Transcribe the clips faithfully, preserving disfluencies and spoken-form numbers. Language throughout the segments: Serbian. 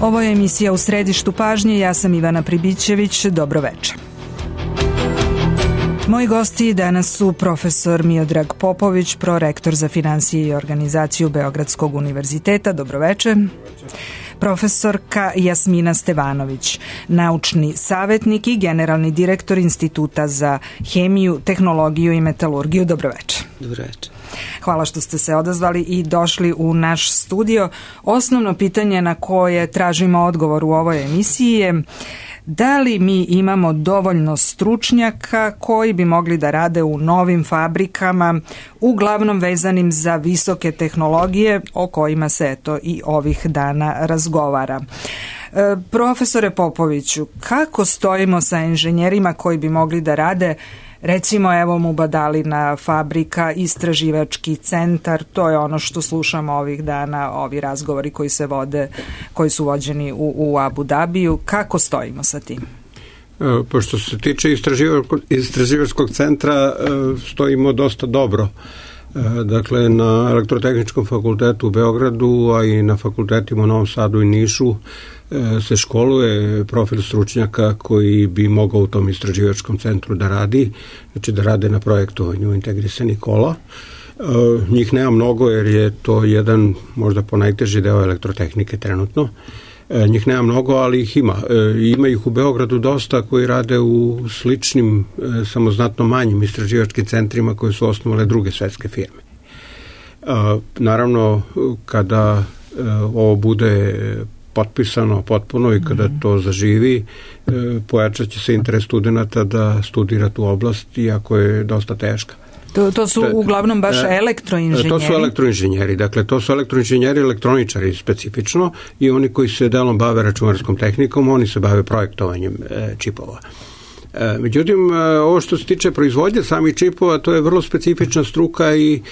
Ovo je emisija U središtu pažnje, ja sam Ivana Pribićević, dobro večer. Moji gosti danas su profesor Miodrag Popović, prorektor za finansije i organizaciju Beogradskog univerziteta, dobro večer. Profesorka Jasmina Stevanović, naučni savjetnik i generalni direktor Instituta za hemiju, tehnologiju i metalurgiju, dobro večer. Dobro večer. Hvala što ste se odazvali i došli u naš studio. Osnovno pitanje na koje tražimo odgovor u ovoj emisiji je da li mi imamo dovoljno stručnjaka koji bi mogli da rade u novim fabrikama, uglavnom vezanim za visoke tehnologije o kojima se eto i ovih dana razgovara. E, profesore Popoviću, kako stojimo sa inženjerima koji bi mogli da rade, recimo evo Mubadalina fabrika, istraživački centar, to je ono što slušamo ovih dana, ovi razgovori koji se vode, koji su vođeni u, u Abu Dabiju. Kako stojimo sa tim? Pošto se tiče istraživačkog, istraživačkog centra, stojimo dosta dobro. Dakle, na Elektrotehničkom fakultetu u Beogradu, a i na fakultetima u Novom Sadu i Nišu se školuje profil stručnjaka koji bi mogao u tom istraživačkom centru da radi, znači da rade na projektovanju integrisanih kola. Njih nema mnogo jer je to jedan možda ponajteži deo elektrotehnike trenutno. Njih nema mnogo, ali ih ima. Ima ih u Beogradu dosta koji rade u sličnim, samo znatno manjim istraživačkim centrima koje su osnovale druge svetske firme. Naravno, kada ovo bude potpisano potpuno i kada to zaživi, pojačat će se interes studenta da studira tu oblast, iako je dosta teška. To, to su uglavnom baš elektroinženjeri? To su elektroinženjeri, dakle to su elektroinženjeri, elektroničari specifično i oni koji se delom bave računarskom tehnikom, oni se bave projektovanjem čipova. Međutim, ovo što se tiče proizvodnje samih čipova, to je vrlo specifična struka i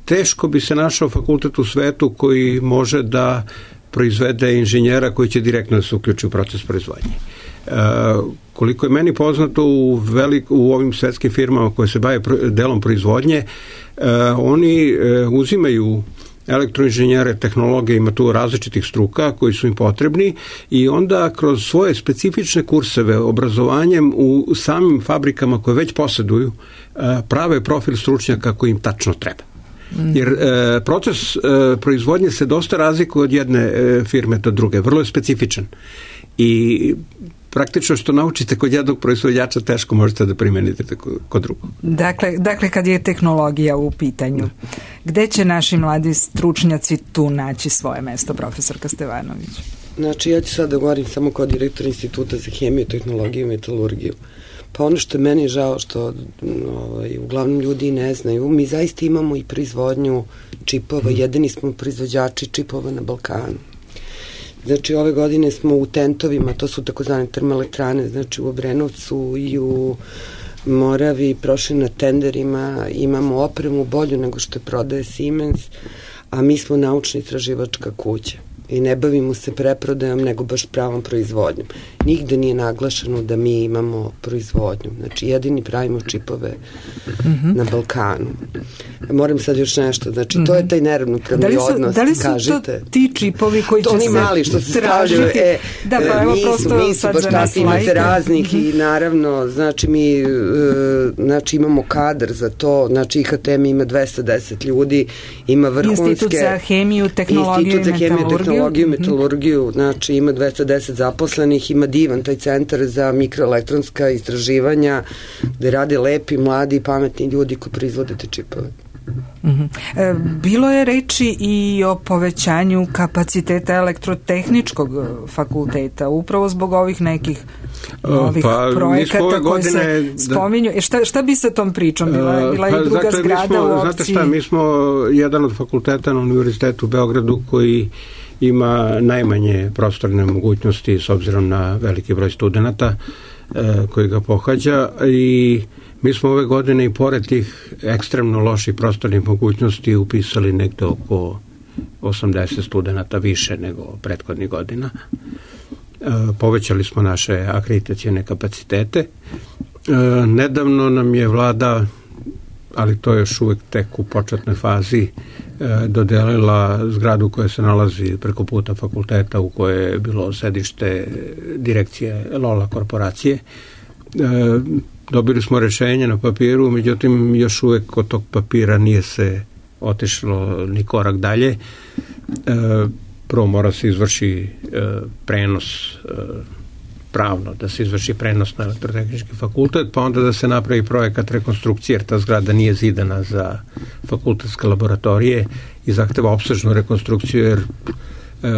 teško bi se našao fakultet u svetu koji može da proizvede inženjera koji će direktno da se uključi u proces proizvodnje. E, koliko je meni poznato u, velik, u ovim svetskim firmama koje se bave delom proizvodnje, e, oni e, uzimaju elektroinženjere, tehnologije, ima tu različitih struka koji su im potrebni i onda kroz svoje specifične kurseve obrazovanjem u samim fabrikama koje već posjeduju e, prave profil stručnjaka koji im tačno treba. Jer e, proces e, proizvodnje se dosta razlikuje od jedne e, firme do druge, vrlo je specifičan i praktično što naučite kod jednog proizvođača teško možete da primenite kod drugog. Dakle, dakle kad je tehnologija u pitanju, gde će naši mladi stručnjaci tu naći svoje mesto, profesorka Stevanović? Znači, ja ću sad da govorim samo kao direktor Instituta za hemiju, tehnologiju i metalurgiju. Pa ono što je meni žao, što ovaj, uglavnom ljudi ne znaju, mi zaista imamo i proizvodnju čipova, jedini smo proizvođači čipova na Balkanu. Znači, ove godine smo u tentovima, to su takozvane termoelektrane, znači u Obrenovcu i u Moravi prošli na tenderima, imamo opremu bolju nego što je prodaje Siemens, a mi smo naučna istraživačka kuća i ne bavimo se preprodajom nego baš pravom proizvodnjom. Nigde nije naglašeno da mi imamo proizvodnju. Znači, jedini pravimo čipove mm-hmm. na Balkanu. Moram sad još nešto. Znači, mm-hmm. to je taj neravnopravni da su, odnos. Da li su kažite, to ti čipovi koji to će se oni mali što se stavljaju. E, da, pa evo prosto mi su baš tako imate raznih mm-hmm. i naravno, znači mi uh, znači imamo kadar za to. Znači, I H T M ima dvesta deset ljudi, ima vrhunske... Institut za hemiju, tehnologiju Institut za hemiju, tehnologiju, metalurgiju, znači ima dvesta deset zaposlenih, ima divan taj centar za mikroelektronska istraživanja gde rade lepi, mladi i pametni ljudi koji proizvode te čipove. Mm-hmm. E, bilo je reči i o povećanju kapaciteta elektrotehničkog fakulteta, upravo zbog ovih nekih novih pa, projekata koji se da... spominju. E, šta, šta bi sa tom pričom? Bila, bila je pa, druga dakle, zgrada smo, u opciji? Znate šta, mi smo jedan od fakulteta na Univerzitetu u Beogradu koji ima najmanje prostorne mogućnosti s obzirom na veliki broj studenata e, koji ga pohađa i mi smo ove godine i pored tih ekstremno loših prostornih mogućnosti upisali nekde oko osamdeset studenata više nego prethodnih godina. E, povećali smo naše akreditacione kapacitete. E, nedavno nam je vlada, ali to je još uvek tek u početnoj fazi, dodelila zgradu koja se nalazi preko puta fakulteta u kojoj je bilo sedište direkcije Lola korporacije. Dobili smo rešenje na papiru, međutim još uvek od tog papira nije se otišlo ni korak dalje. Prvo mora se izvrši prenos pravno, da se izvrši prenos na elektrotehnički fakultet, pa onda da se napravi projekat rekonstrukcije, jer ta zgrada nije zidana za fakultetske laboratorije i zahteva opsežnu rekonstrukciju, jer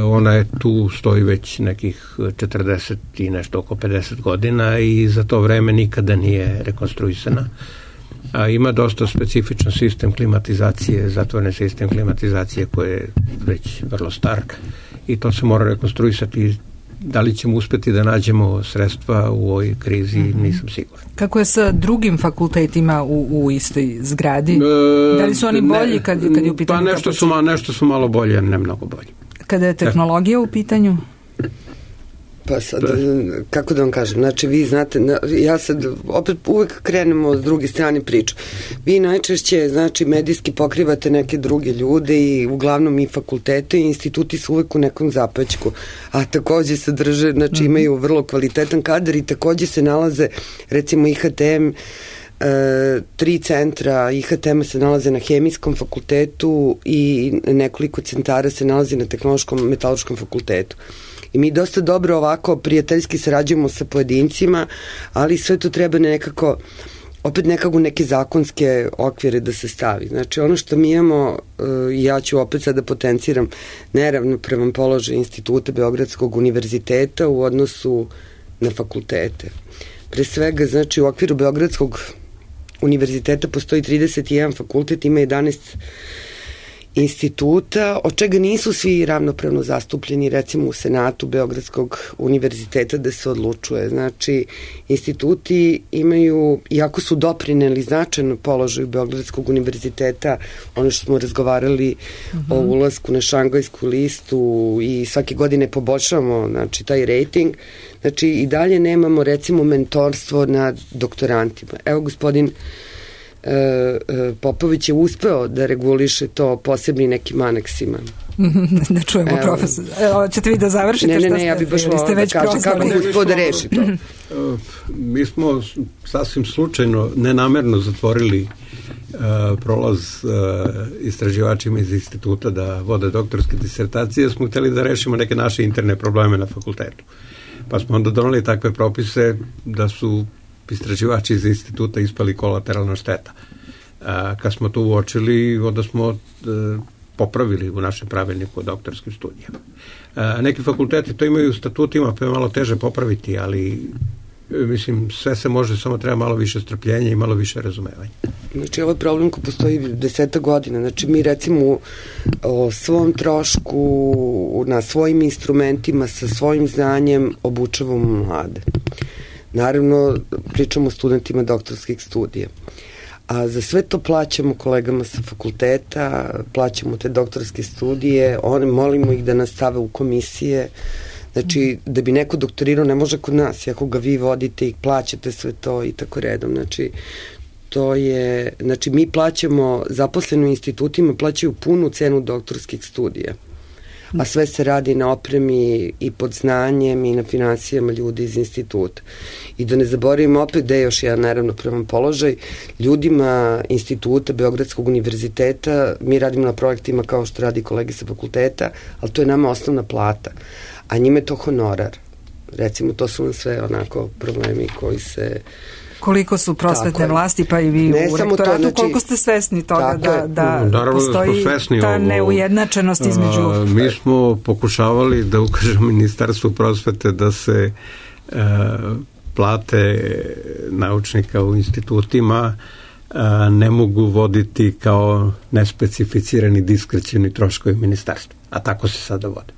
ona je tu, stoji već nekih četrdeset i nešto, oko pedeset godina i za to vreme nikada nije rekonstruisana. A ima dosta specifičan sistem klimatizacije, zatvoreni sistem klimatizacije koji je već vrlo star i to se mora rekonstruisati. Da li ćemo uspeti da nađemo sredstva u ovoj krizi, nisam siguran. Kako je sa drugim fakultetima u, u istoj zgradi? E, da li su oni bolji kad, kad je u pitanju? Pa nešto su, ma, nešto su malo bolje, ne mnogo bolji. Kada je tehnologija u pitanju? Pa sad, kako da vam kažem, znači vi znate, ja sad opet uvek krenemo s druge strane priču. Vi najčešće, znači, medijski pokrivate neke druge ljude i uglavnom i fakultete i instituti su uvek u nekom zapećku, a takođe se drže, znači imaju vrlo kvalitetan kadar i takođe se nalaze, recimo I H T M, E, tri centra I H T M se nalaze na hemijskom fakultetu i nekoliko centara se nalazi na tehnološkom metaloškom fakultetu. I mi dosta dobro ovako prijateljski sarađujemo sa pojedincima, ali sve to treba nekako, opet nekako neke zakonske okvire da se stavi. Znači ono što mi imamo, ja ću opet sada potenciram neravnopravan položaj Instituta Beogradskog univerziteta u odnosu na fakultete. Pre svega, znači u okviru Beogradskog univerziteta postoji trideset jedan fakultet, ima jedanaest instituta, od čega nisu svi ravnopravno zastupljeni, recimo u Senatu Beogradskog univerziteta da se odlučuje. Znači, instituti imaju, iako su doprineli značajno položaju Beogradskog univerziteta, ono što smo razgovarali uh-huh. o ulasku na Šangajsku listu i svake godine poboljšavamo, znači, taj rating, znači i dalje nemamo, recimo, mentorstvo nad doktorantima. Evo, gospodin Popović je uspeo da reguliše to posebnim nekim aneksima. Da čujemo, evo, profesor. Evo, ćete vi da završite? Ne, ne, ne, ja bih baš volao da kažem kako gospod da reši to. Mi smo sasvim slučajno, nenamerno zatvorili uh, prolaz uh, istraživačima iz instituta da vode doktorske disertacije, smo hteli da rešimo neke naše interne probleme na fakultetu. Pa smo onda donali takve propise da su istraživači iz instituta ispali kolateralna šteta. A, kad smo to uočili, onda smo e, popravili u našem pravilniku o doktorskim studijama. A, neki fakulteti to imaju u statutima, pa je malo teže popraviti, ali mislim, sve se može, samo treba malo više strpljenja i malo više razumevanja. Znači, ovaj problem ko postoji deseta godina. Znači, mi recimo o svom trošku, na svojim instrumentima, sa svojim znanjem obučavamo mlade. Naravno, pričamo o studentima doktorskih studija. A za sve to plaćamo kolegama sa fakulteta, plaćamo te doktorske studije, one, molimo ih da nas stave u komisije. Znači, da bi neko doktorirao ne može kod nas, ako ga vi vodite i plaćate sve to i tako redom. Znači, to je, znači mi plaćamo, zaposleni u institutima plaćaju punu cenu doktorskih studija, a sve se radi na opremi i pod znanjem i na finansijama ljudi iz instituta. I da ne zaboravimo opet da je još jedan neravnopravan položaj, ljudima instituta Beogradskog univerziteta, mi radimo na projektima kao što radi kolege sa fakulteta, ali to je nama osnovna plata, a njime je to honorar. Recimo, to su nam sve onako problemi koji se... Koliko su prosvetne vlasti, pa i vi ne u rektoratu, to, znači, koliko ste svesni toga da, da naravno postoji da ta neujednačenost između... A, mi smo pokušavali da ukažemo Ministarstvu prosvete da se a, plate naučnika u institutima a, ne mogu voditi kao nespecificirani diskrecioni troškovi ministarstva. A tako se sada vode.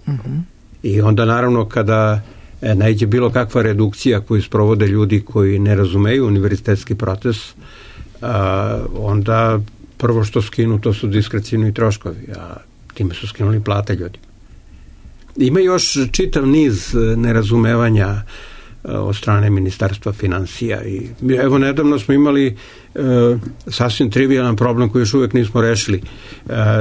Uh-huh. I onda naravno kada e, najde bilo kakva redukcija koju sprovode ljudi koji ne razumeju univerzitetski proces, a, onda prvo što skinu to su diskrecioni troškovi, a time su skinuli plate ljudi. Ima još čitav niz nerazumevanja od strane Ministarstva finansija. I evo, nedavno smo imali e, sasvim trivialan problem koji još uvijek nismo rešili. E,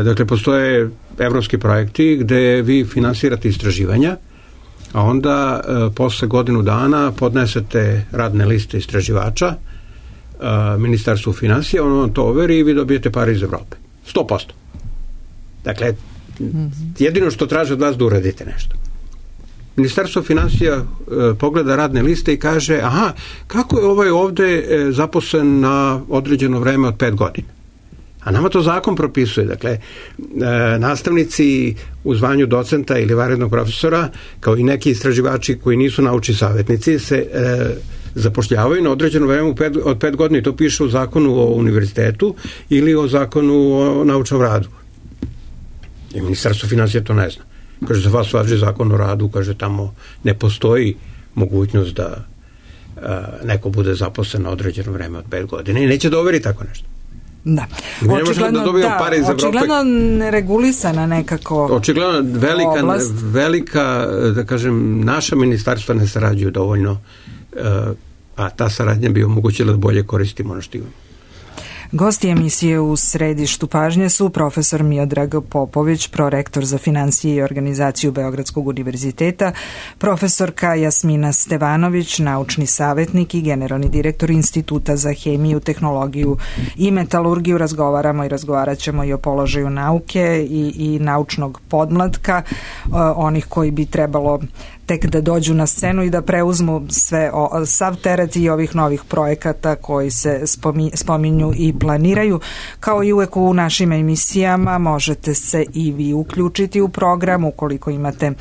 dakle, postoje evropski projekti gde vi finansirate istraživanja, a onda e, posle godinu dana podnesete radne liste istraživača e, Ministarstvu finansija, ono vam to overi i vi dobijete pare iz Evrope. sto posto. Dakle, jedino što traže od vas da uradite nešto. Ministarstvo finansija e, pogleda radne liste i kaže, aha, kako je ovaj ovde e, zaposlen na određeno vreme od pet godina? A nama to zakon propisuje. Dakle, e, nastavnici u zvanju docenta ili vanrednog profesora, kao i neki istraživači koji nisu naučni savjetnici, se e, zapošljavaju na određeno vreme od pet godina i to piše u zakonu o univerzitetu ili o zakonu o naučnom radu. I Ministarstvo finansija to ne zna. Kaže, za vas važi zakon o radu, kaže, tamo ne postoji mogućnost da a, neko bude zaposlen na određeno vreme od pet godina i neće da overi tako nešto. Da. Mi ne možemo da dobijemo pare iz Evrope. Očigledno neregulisana nekako očigledno velika, oblast. velika, da kažem, naša ministarstva ne sarađuju dovoljno, a ta saradnja bi omogućila da bolje koristimo ono što imamo. Gosti emisije u središtu pažnje su profesor Miodrag Popović, prorektor za finansije i organizaciju Beogradskog univerziteta, profesorka Jasmina Stevanović, naučni savjetnik i generalni direktor Instituta za hemiju, tehnologiju i metalurgiju. Razgovaramo i razgovarat ćemo i o položaju nauke i, i naučnog podmlatka, onih koji bi trebalo tek da dođu na scenu i da preuzmu sve o, sav teret i ovih novih projekata koji se spomi, spominju i planiraju. Kao i uvek u našim emisijama možete se i vi uključiti u program ukoliko imate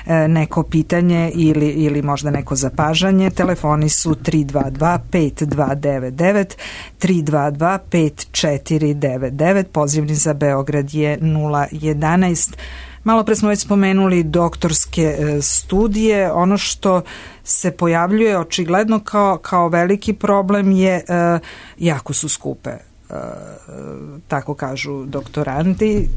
e, neko pitanje ili, ili možda neko zapažanje. Telefoni su tri dva dva pet dva devet devet, tri dva dva pet četiri devet devet, pozivni za Beograd je nula jedanaest. Malo pre smo već spomenuli doktorske studije. Ono što se pojavljuje očigledno kao, kao veliki problem je e, jako su skupe, e, tako kažu doktoranti.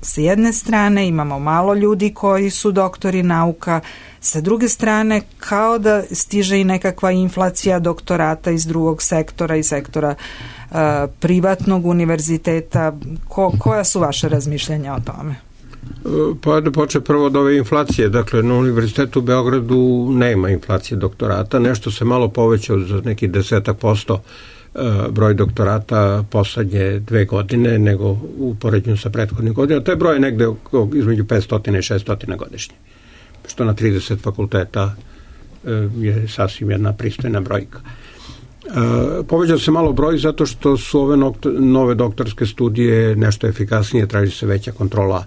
Sa jedne strane imamo malo ljudi koji su doktori nauka, sa druge strane kao da stiže i nekakva inflacija doktorata iz drugog sektora, iz sektora e, privatnog univerziteta. Ko, koja su vaše razmišljanja o tome? Pa da počne prvo od ove inflacije. Dakle, na Univerzitetu u Beogradu nema inflacije doktorata. Nešto se malo povećao za neki desetak posto broj doktorata poslednje dve godine nego u poređenju sa prethodnim godinama. To je broj negde između petsto i šesto godišnje. Što na trideset fakulteta je sasvim jedna pristojna brojka. Povećao se malo broj zato što su ove nove doktorske studije nešto efikasnije, traži se veća kontrola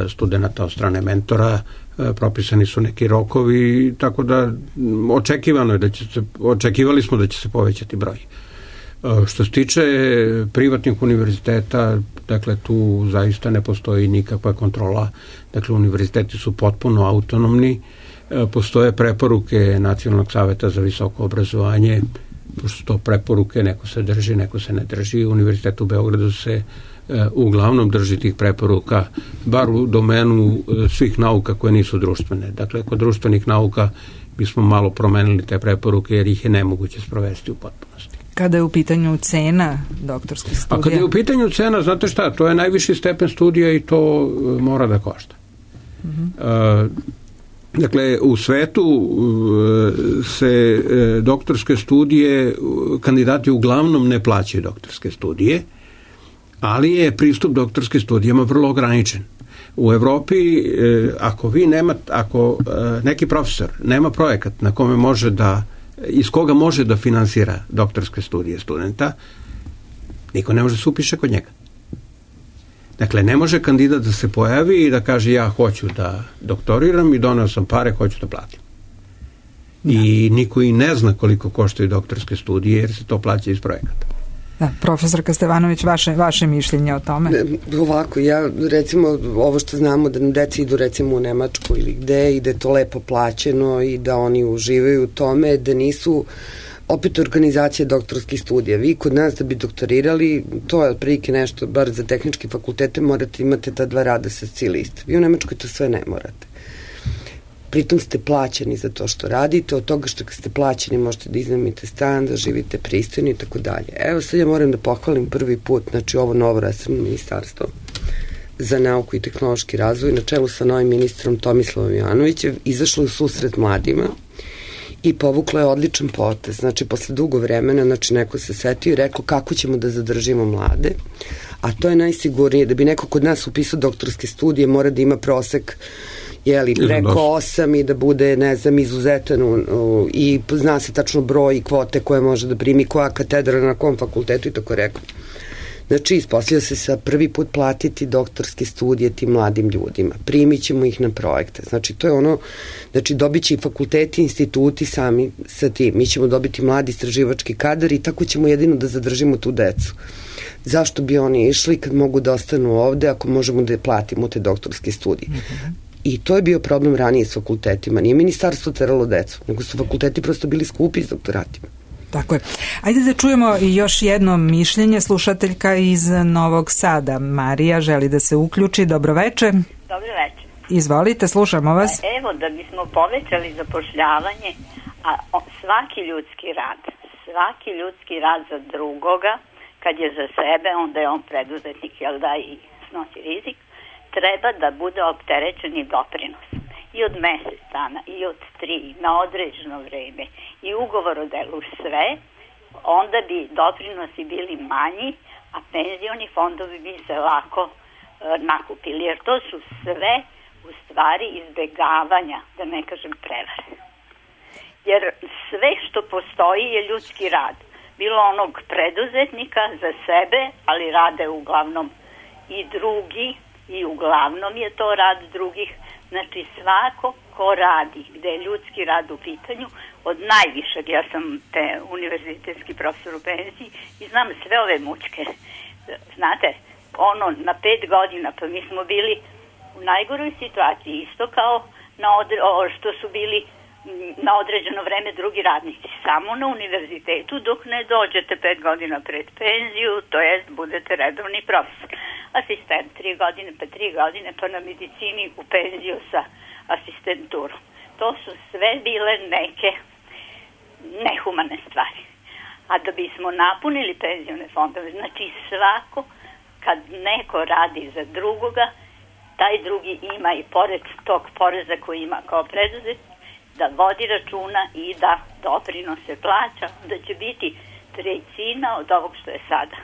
studenata od strane mentora, propisani su neki rokovi, tako da očekivano je da će se, očekivali smo da će se povećati broj. Što se tiče privatnih univerziteta, dakle tu zaista ne postoji nikakva kontrola, dakle univerziteti su potpuno autonomni, postoje preporuke Nacionalnog saveta za visoko obrazovanje, pošto to preporuke, neko se drži, neko se ne drži. Univerzitet u Beogradu se uglavnom drži tih preporuka, bar u domenu svih nauka koje nisu društvene. Dakle, kod društvenih nauka bismo malo promenili te preporuke jer ih je nemoguće sprovesti u potpunosti. Kada je u pitanju cena doktorskih studija? A kada je u pitanju cena, znate šta, to je najviši stepen studija i to mora da košta. Uh-huh. Uh, Dakle, u svetu se doktorske studije, kandidati uglavnom ne plaćaju doktorske studije, ali je pristup doktorskim studijama vrlo ograničen. U Evropi, ako vi nemate, ako neki profesor nema projekat na kome može da, iz koga može da finansira doktorske studije studenta, niko ne može da se upiše kod njega. Dakle, ne može kandidat da se pojavi i da kaže ja hoću da doktoriram i doneo sam pare, hoću da platim. Da. I niko i ne zna koliko koštaju doktorske studije jer se to plaća iz projekata. Da, profesorka Stevanović, vaše, vaše mišljenje o tome? Ne, ovako, ja recimo ovo što znamo da nam deci idu recimo u Nemačku ili gde i da je to lepo plaćeno i da oni uživaju u tome, da nisu opet organizacija doktorskih studija. Vi kod nas da bi doktorirali, to je otprilike nešto, bar za tehničke fakultete morate imate ta dva rada sa sci liste. Vi u Nemačkoj to sve ne morate. pritom ste plaćeni za to što radite, od toga što ste plaćeni možete da iznajmite stan, da živite pristojno i tako dalje. Evo sad ja moram da pohvalim prvi put, znači ovo novo resorno ministarstvo za nauku i tehnološki razvoj na čelu sa novim ministrom Tomislavom Jovanovićem izašlo u susret mladima i povuklo je odličan potez. Znači, posle dugo vremena, znači, neko se setio i rekao kako ćemo da zadržimo mlade, a to je najsigurnije. Da bi neko kod nas upisao doktorske studije, mora da ima prosek jeli, preko osam i da bude, ne znam, izuzetan u, u, i zna se tačno broj i kvote koje može da primi, koja katedra na kom fakultetu i tako rekao. Znači, ispostavlja se sa prvi put platiti doktorske studije tim mladim ljudima. Primit ćemo ih na projekte. Znači, to je ono, znači, dobit će i fakulteti, instituti sami sa tim. Mi ćemo dobiti mladi istraživački kadar i tako ćemo jedino da zadržimo tu decu. Zašto bi oni išli kad mogu da ostanu ovde ako možemo da platimo te doktorske studije? Mm-hmm. I to je bio problem ranije s fakultetima. Nije ministarstvo teralo decu, nego su fakulteti prosto bili skupi s doktoratima. Tako je. Ajde da čujemo još jedno mišljenje. Slušateljka iz Novog Sada, Marija, želi da se uključi. Dobroveče. Dobroveče. Izvolite, slušamo vas. Evo, da bismo povećali zapošljavanje, a svaki ljudski rad, svaki ljudski rad za drugoga, kad je za sebe, onda je on preduzetnik, jel da, i snosi rizik, treba da bude opterećen i doprinos. I od mesec dana, i od tri, na određeno vreme, i ugovor o delu, sve, onda bi doprinosi bili manji, a penzioni fondovi bi se lako e, nakupili, jer to su sve u stvari izbegavanja, da ne kažem prevare. Jer sve što postoji je ljudski rad. Bilo onog preduzetnika za sebe, ali rade uglavnom i drugi, i uglavnom je to rad drugih. Znači, svako ko radi, gde je ljudski rad u pitanju, od najvišeg, ja sam te univerzitetski profesor u penziji i znam sve ove mučke. Znate, ono, na pet godina, pa mi smo bili u najgoroj situaciji, isto kao na odre, o, što su bili na određeno vreme drugi radnici. Samo na univerzitetu dok ne dođete pet godina pred penziju, to jest budete redovni profesor. Asistent tri godine, pa tri godine, pa na medicini u penziju sa asistenturom. To su sve bile neke nehumane stvari. A da bismo napunili penzione fondove, znači svako, kad neko radi za drugoga, taj drugi ima i pored tog poreza koji ima kao preduzet, da vodi računa i da doprinose plaća, da će biti trećina od ovog što je sada.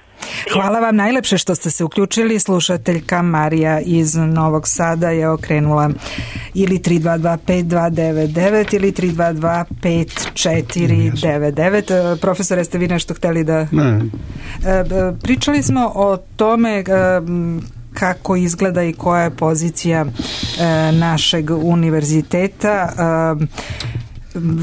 Hvala vam najlepše što ste se uključili. Slušateljka Marija iz Novog Sada je okrenula ili tri dva dva pet dva devet devet ili tri dva dva pet četiri devet devet. Profesore, ste vi nešto hteli da... Ne. Pričali smo o tome kako izgleda i koja je pozicija našeg univerziteta.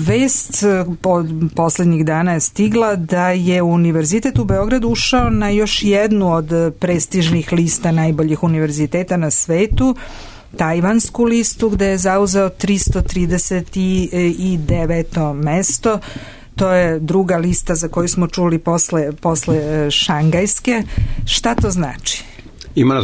Vest od poslednjih dana je stigla da je Univerzitet u Beogradu ušao na još jednu od prestižnih lista najboljih univerziteta na svetu, tajvansku listu, gde je zauzeo tristo trideset deveto mesto. To je druga lista za koju smo čuli posle, posle šangajske. Šta to znači?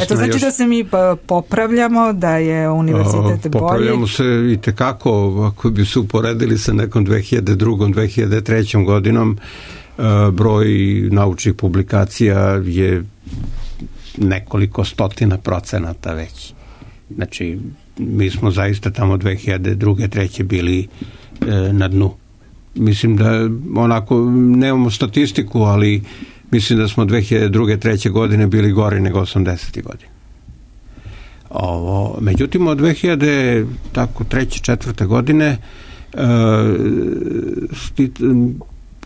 Eto, znači još... da se mi popravljamo, da je univerzitet bolji. Popravljamo se i tekako, ako bi se uporedili sa nekom dve hiljade druge. dve hiljade treće. godinom, broj naučnih publikacija je nekoliko stotina procenata već. Znači, mi smo zaista tamo dve hiljade druge. treće. bili na dnu. Mislim da onako, nemamo statistiku, ali mislim da smo dve hiljade druge. treće. godine bili gori nego osamdesetih godine. Ovo, međutim, od dve hiljade treće. četvrte. godine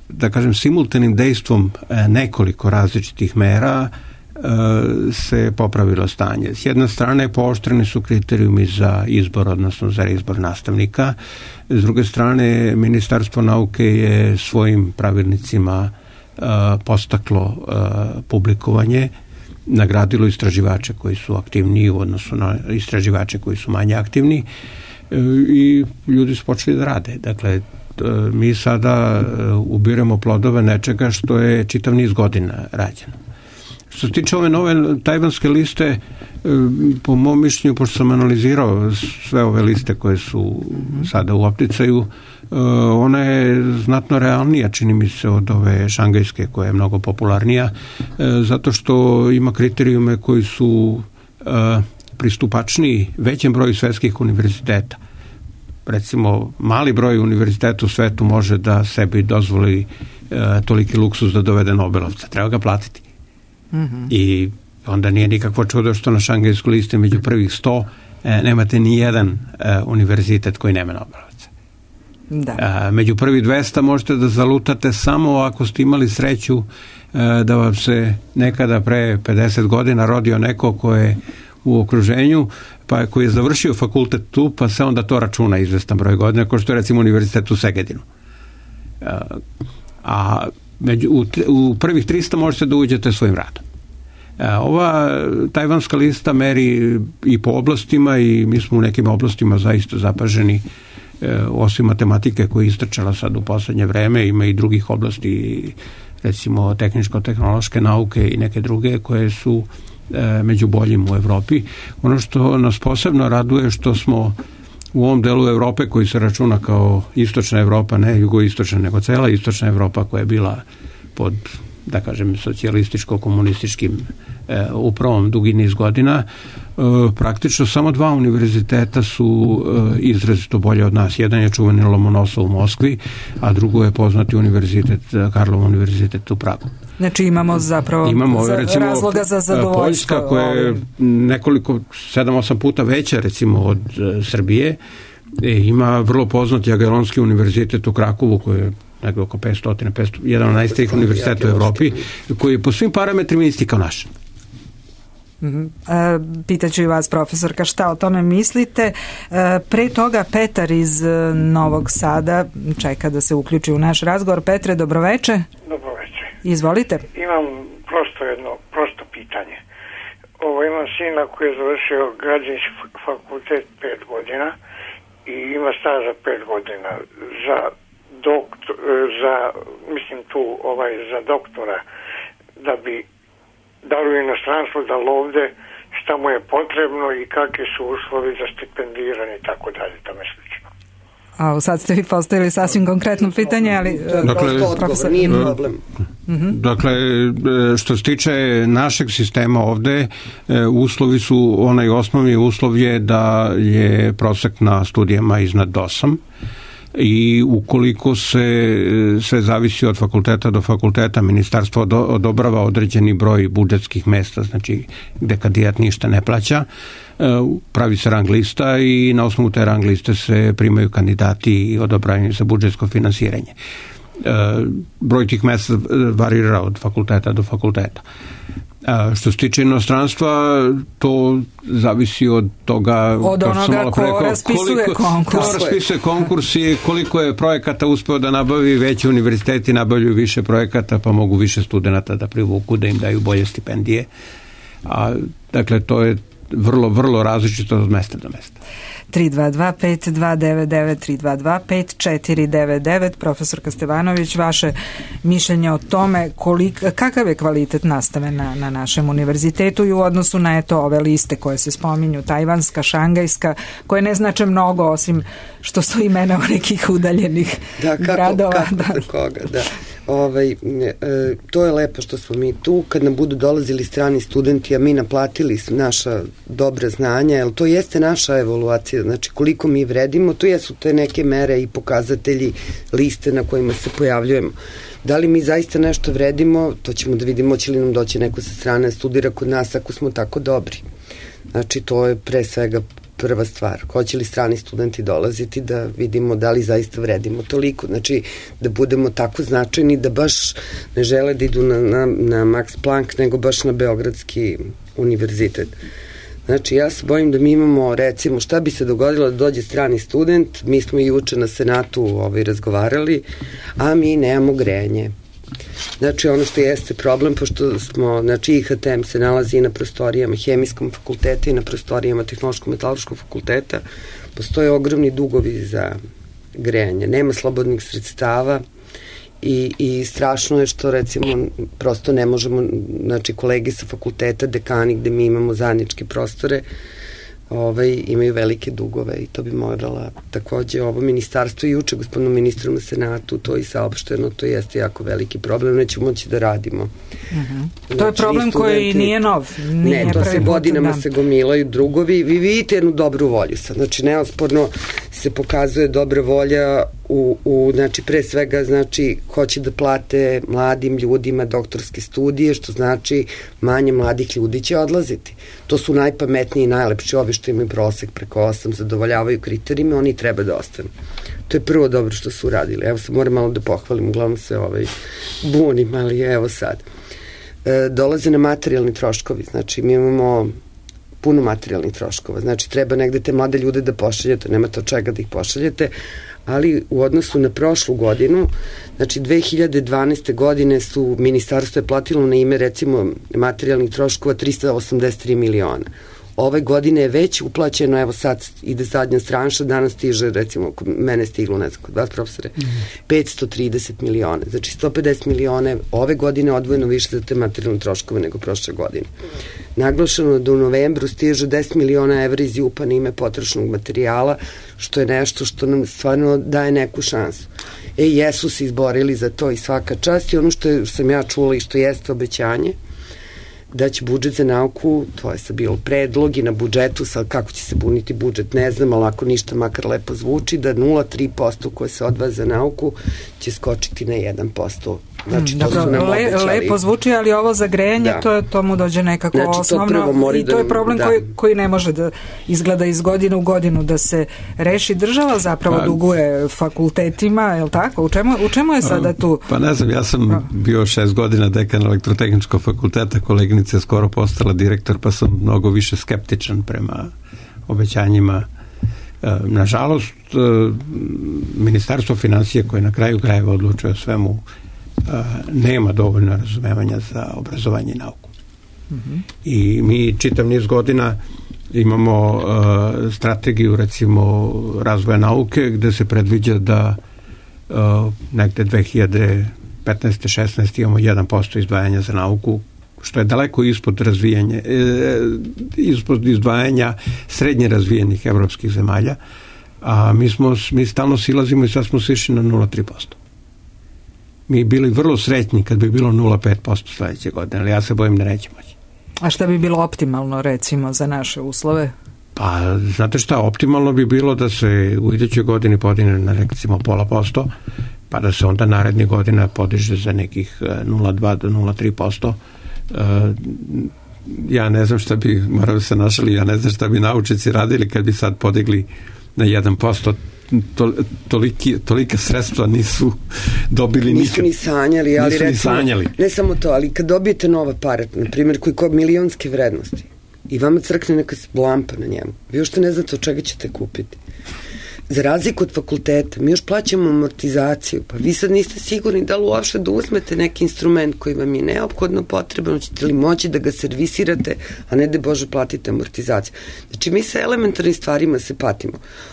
da kažem, simultanim dejstvom nekoliko različitih mera se popravilo stanje. S jedne strane, pooštreni su kriterijumi za izbor, odnosno za izbor nastavnika. S druge strane, Ministarstvo nauke je svojim pravilnicima postaklo publikovanje, nagradilo istraživače koji su aktivniji u odnosu na istraživače koji su manje aktivni i ljudi su počeli da rade. Dakle, mi sada ubiramo plodove nečega što je čitav niz godina rađeno. Što Što se tiče ove nove tajvanske liste, po mom mišljenju, pošto sam analizirao sve ove liste koje su sada u opticaju, ona je znatno realnija, čini mi se, od ove šangajske koja je mnogo popularnija, zato što ima kriterijume koji su pristupačniji većem broju svetskih univerziteta. Recimo, mali broj univerziteta u svetu može da sebi dozvoli toliki luksus da dovede Nobelovca. Treba ga platiti. Mm-hmm. I onda nije nikakvo čudo što na šangajskoj listi među prvih sto e, nemate ni jedan e, univerzitet koji nema Nobelovca. Da. E, među prvih dvesta možete da zalutate samo ako ste imali sreću e, da vam se nekada pre pedeset godina rodio neko ko je u okruženju, pa koji je završio fakultet tu, pa se onda to računa izvestan broj godina, kao što je recimo univerzitet u Segedinu. E, a među, u, u prvih trista možete da uđete svojim radom. Ova tajvanska lista meri i po oblastima i mi smo u nekim oblastima zaista zapaženi, osim matematike koja je istrčala sad u poslednje vreme, ima i drugih oblasti, recimo tehničko-tehnološke nauke i neke druge koje su među boljim u Evropi. Ono što nas posebno raduje što smo u ovom delu Evrope koji se računa kao istočna Evropa, ne jugoistočna, nego cela istočna Evropa koja je bila pod, da kažem, socijalističko-komunističkim e, upravom dugi niz godina, e, praktično samo dva univerziteta su e, izrazito bolje od nas. Jedan je čuveni Lomonosov u Moskvi, a drugo je poznati univerzitet, Karlov univerzitet u Pragu. Znači imamo zapravo imamo, za, recimo, razloga za zadovoljstvo. Poljska koja je nekoliko, sedam osam puta veća recimo od e, Srbije, e, ima vrlo poznati Jagelonski univerzitet u Krakovu koji je negdje oko petsto, petsto, jedan od najstarijih univerziteta u Evropi, koji je po svim parametrima isti kao naš. Mm-hmm. E, pitaću i vas, profesorka, šta o tome mislite? E, pre toga Petar iz Novog Sada čeka da se uključi u naš razgovor. Petre, dobroveče. Dobroveče. Izvolite. Imam prosto jedno, prosto pitanje. Ovo, imam sina koji je završio građevinski fakultet pet godina i ima staža pet godina za doktor, za, mislim tu, ovaj, za doktora, da bi dali u inostranstvo, da ovde šta mu je potrebno i kakvi su uslovi za stipendiranje i tako dalje, tome slično. A sad ste vi postavili sasvim konkretno pitanje, ali dakle, odgovor, nije problem. Uh-huh. Dakle, što se tiče našeg sistema ovde, uslovi su, onaj osnovni uslov je da je prosek na studijama iznad osam, i ukoliko se sve zavisi od fakulteta do fakulteta, ministarstvo odobrava određeni broj budžetskih mesta, znači gde kandidat ništa ne plaća, pravi se rang lista i na osnovu te rang liste se primaju kandidati i odobravaju za budžetsko finansiranje. Broj tih mesta varira od fakulteta do fakulteta. A što se tiče inostranstva, to zavisi od toga od onoga ko rekao, raspisuje koliko, konkurs. Ko raspisuje konkurs i koliko je projekata uspeo da nabavi, veći univerziteti nabavljaju više projekata, pa mogu više studenata da privuku, da im daju bolje stipendije. A, dakle, to je vrlo, vrlo različito od mesta do mesta. tri dva dva pet dva devet devet tri dva dva pet četiri devet devet. Profesorka Stevanović, vaše mišljenje o tome kolik, kakav je kvalitet nastave na, na našem univerzitetu i u odnosu na eto ove liste koje se spominju, tajvanska, šangajska, koje ne znače mnogo osim što su imena u nekih udaljenih da, kako, gradova. Kako da. za koga, da. Ovaj, e, to je lepo što smo mi tu, kad nam budu dolazili strani studenti, a mi naplatili naša dobra znanja, jer to jeste naša evaluacija, znači koliko mi vredimo, to jesu te neke mere i pokazatelji, liste na kojima se pojavljujemo. Da li mi zaista nešto vredimo, to ćemo da vidimo, će li nam doći neko sa strane studira kod nas ako smo tako dobri. Znači to je pre svega prva stvar. Hoće li strani studenti dolaziti da vidimo da li zaista vredimo toliko. Znači da budemo tako značajni da baš ne žele da idu na, na, na Max Planck, nego baš na Beogradski univerzitet. Znači ja se bojim da mi imamo, recimo, šta bi se dogodilo da dođe strani student, mi smo juče na Senatu ovaj, razgovarali, a mi nemamo grejanje. Znači ono što jeste problem, pošto smo, znači I H T M se nalazi i na prostorijama Hemijskog fakulteta i na prostorijama Tehnološko-metaloškog fakulteta, postoje ogromni dugovi za grejanje, nema slobodnih sredstava i, i strašno je što recimo prosto ne možemo, znači kolege sa fakulteta, dekani gde mi imamo zajedničke prostore, ovaj, imaju velike dugove i to bi morala takođe ovo ministarstvo i juče gospodinu ministru na Senatu to i saopšteno, to jeste jako veliki problem, nećemo moći da radimo. Uh-huh. Znači, to je problem koji nije nov. Nije ne, to se godinama se gomilaju drugovi. Vi vidite jednu dobru volju sad. Znači, neosporno se pokazuje dobra volja u, u znači, pre svega, znači, hoće da plate mladim ljudima doktorske studije, što znači manje mladih ljudi će odlaziti. To su najpametniji i najlepši, ovi što imaju prosek preko osam, zadovoljavaju kriterijima, oni treba da ostanu. To je prvo dobro što su uradili. Evo sad moram malo da pohvalim, uglavnom se ovaj, bunim, ali evo sad. E, dolaze na materijalni troškovi, znači mi imamo puno materijalnih troškova, znači treba negde te mlade ljude da pošaljete, nemate od čega da ih pošaljete, ali u odnosu na prošlu godinu, znači dve hiljade dvanaeste. godine su ministarstvo je platilo na ime recimo materijalnih troškova trista osamdeset tri miliona. Ove godine je već uplaćeno, evo sad ide zadnja stranša, danas stiže, recimo, mene stiglo, ne znam, kod vas profesore, mm. petsto trideset miliona. Znači, sto pedeset miliona ove godine odvojeno više za te materijalne troškove nego prošle godine. Naglašeno da u novembru stiže deset miliona evra iz JUP-a na ime potrošnog materijala, što je nešto što nam stvarno daje neku šansu. E, jesu se izborili za to i svaka čast i ono što je, sam ja čula i što jeste obećanje, da će budžet za nauku, to je sad bilo predlog i na budžetu, sad kako će se buniti budžet, ne znam, ali ako ništa makar lepo zvuči, da nula zarez tri posto koje se odvaja za nauku će skočiti na jedan posto. Znači, to Dobro, su nam le, lepo zvuči, ali ovo za grejanje, da. to, to mu dođe nekako znači, osnovno i to da, je problem da. koji, koji ne može da izgleda iz godine u godinu da se reši. Država zapravo pa, duguje fakultetima, je li tako? U čemu, u čemu je sada tu? Pa ne znam, ja sam bio šest godina dekan elektrotehničkog fakulteta, koleginica je skoro postala direktor, pa sam mnogo više skeptičan prema obećanjima. Nažalost, Ministarstvo finansija koje na kraju krajeva odlučuje o svemu nema dovoljno razumevanja za obrazovanje i nauku. Mm-hmm. I mi čitav niz godina imamo uh, strategiju recimo razvoja nauke gde se predviđa da uh, negde dve hiljade petnaeste šesnaeste imamo jedan posto izdvajanja za nauku, što je daleko ispod razvijanja e, ispod izdvajanja srednje razvijenih evropskih zemalja, a mi smo mi stalno silazimo i sad smo sišli na nula zarez tri posto. Mi bili vrlo sretni kad bi bilo nula zarez pet posto sledeće godine, ali ja se bojim da neće moći. A šta bi bilo optimalno, recimo, za naše uslove? Pa, znate šta, optimalno bi bilo da se u idućoj godini podigne na recimo pola posto, pa da se onda narednih godina podiže za nekih nula zarez dva do nula zarez tri posto. Uh, ja ne znam šta bi, morao se našali, ja ne znam šta bi naučnici radili kad bi sad podigli na jedan posto. To, toliki, tolika sredstva nisu dobili nikad. Nisu ni sanjali, ali nisu recimo, ni sanjali. Ne samo to, ali kad dobijete nov aparat, na primjer, koji kod milionske vrednosti i vama crkne neka lampa na njemu, vi ušte ne znate od čega ćete kupiti. Za razliku od fakulteta, mi još plaćamo amortizaciju, pa vi sad niste sigurni da li uopšte da uzmete neki instrument koji vam je neophodno potreban, ćete li moći da ga servisirate, a ne da Bože platite amortizaciju. Znači, mi sa elementarnim stvarima se patimo.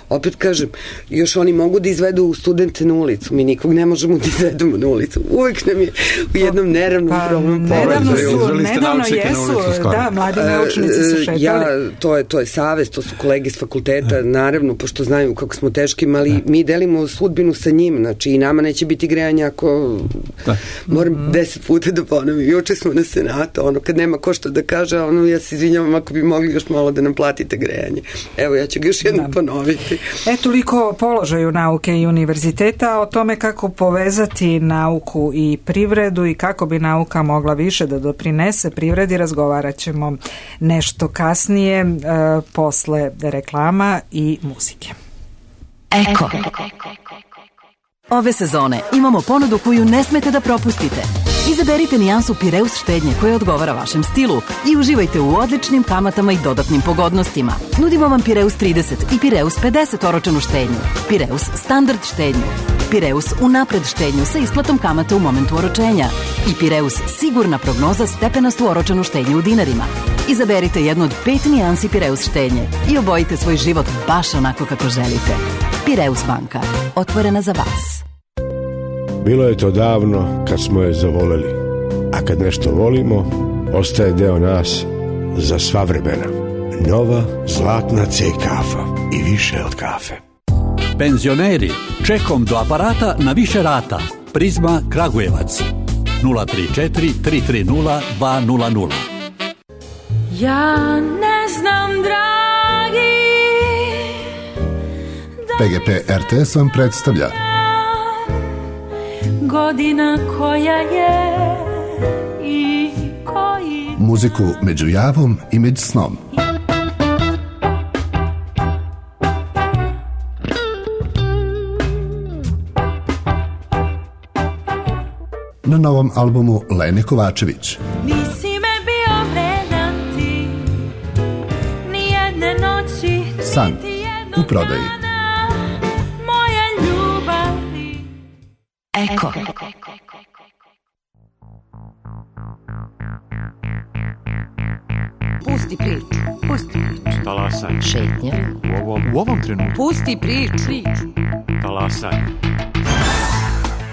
Opet kažem, još oni mogu da izvedu studente na ulicu, mi nikog ne možemo da izvedemo na ulicu. Uvek nam je u jednom neravnom pa, problem. Nedavno su, nedavno jesu, da, mladi naučnici su šetali. Ja, to je, to je savest, to su kolege iz fakulteta, naravno, pošto znaju kako smo teškim, ali mi delimo sudbinu sa njim, znači i nama neće biti grejanja ako da. moram mm-hmm. deset puta da ponovim. Juče smo na Senatu, ono kad nema ko što da kaže, ono ja se izvinjavam ako bi mogli još malo da nam platite grejanje. Evo, ja ću ga još jednom da. ponoviti. E, toliko o položaju nauke i univerziteta, o tome kako povezati nauku i privredu i kako bi nauka mogla više da doprinese privredi, razgovarat ćemo nešto kasnije, e, posle reklama i muzike. Eko. Ove sezone imamo ponudu koju ne smete da propustite. Izaberite nijansu Pireus štednje koja odgovara vašem stilu i uživajte u odličnim kamatama i dodatnim pogodnostima. Nudimo vam Pireus trideset i Pireus pedeset oročenu štednju, Pireus standard štednju, Pireus unapred štednju sa isplatom kamata u momentu oročenja i Pireus sigurna prognoza stepenastu oročenu štednju u dinarima. Izaberite jednu od pet nijansi Pireus štednje i obojite svoj život baš onako kako želite. Pireus banka, otvorena za vas. Bilo je to davno kad smo je zavoleli, a kad nešto volimo, ostaje deo nas za sva vremena. Nova zlatna C kafa i više od kafe. Penzioneri, čekom do aparata na više rata. Prizma Kragujevac nula tri četiri tri tri nula dva nula nula. Ja ne znam, dragi, P G P R T S vam predstavlja godina koja je i koji muziku među javom i među snom. Na novom albumu Lene Kovačević. nisi me bio vredan ti, nijedne noći, San u prodaji. moje ljubavi. Eko. Pusti priču, pusti priču. Talasanje. Šetnja. U ovom, u ovom trenutku. Pusti priču. Talasanje.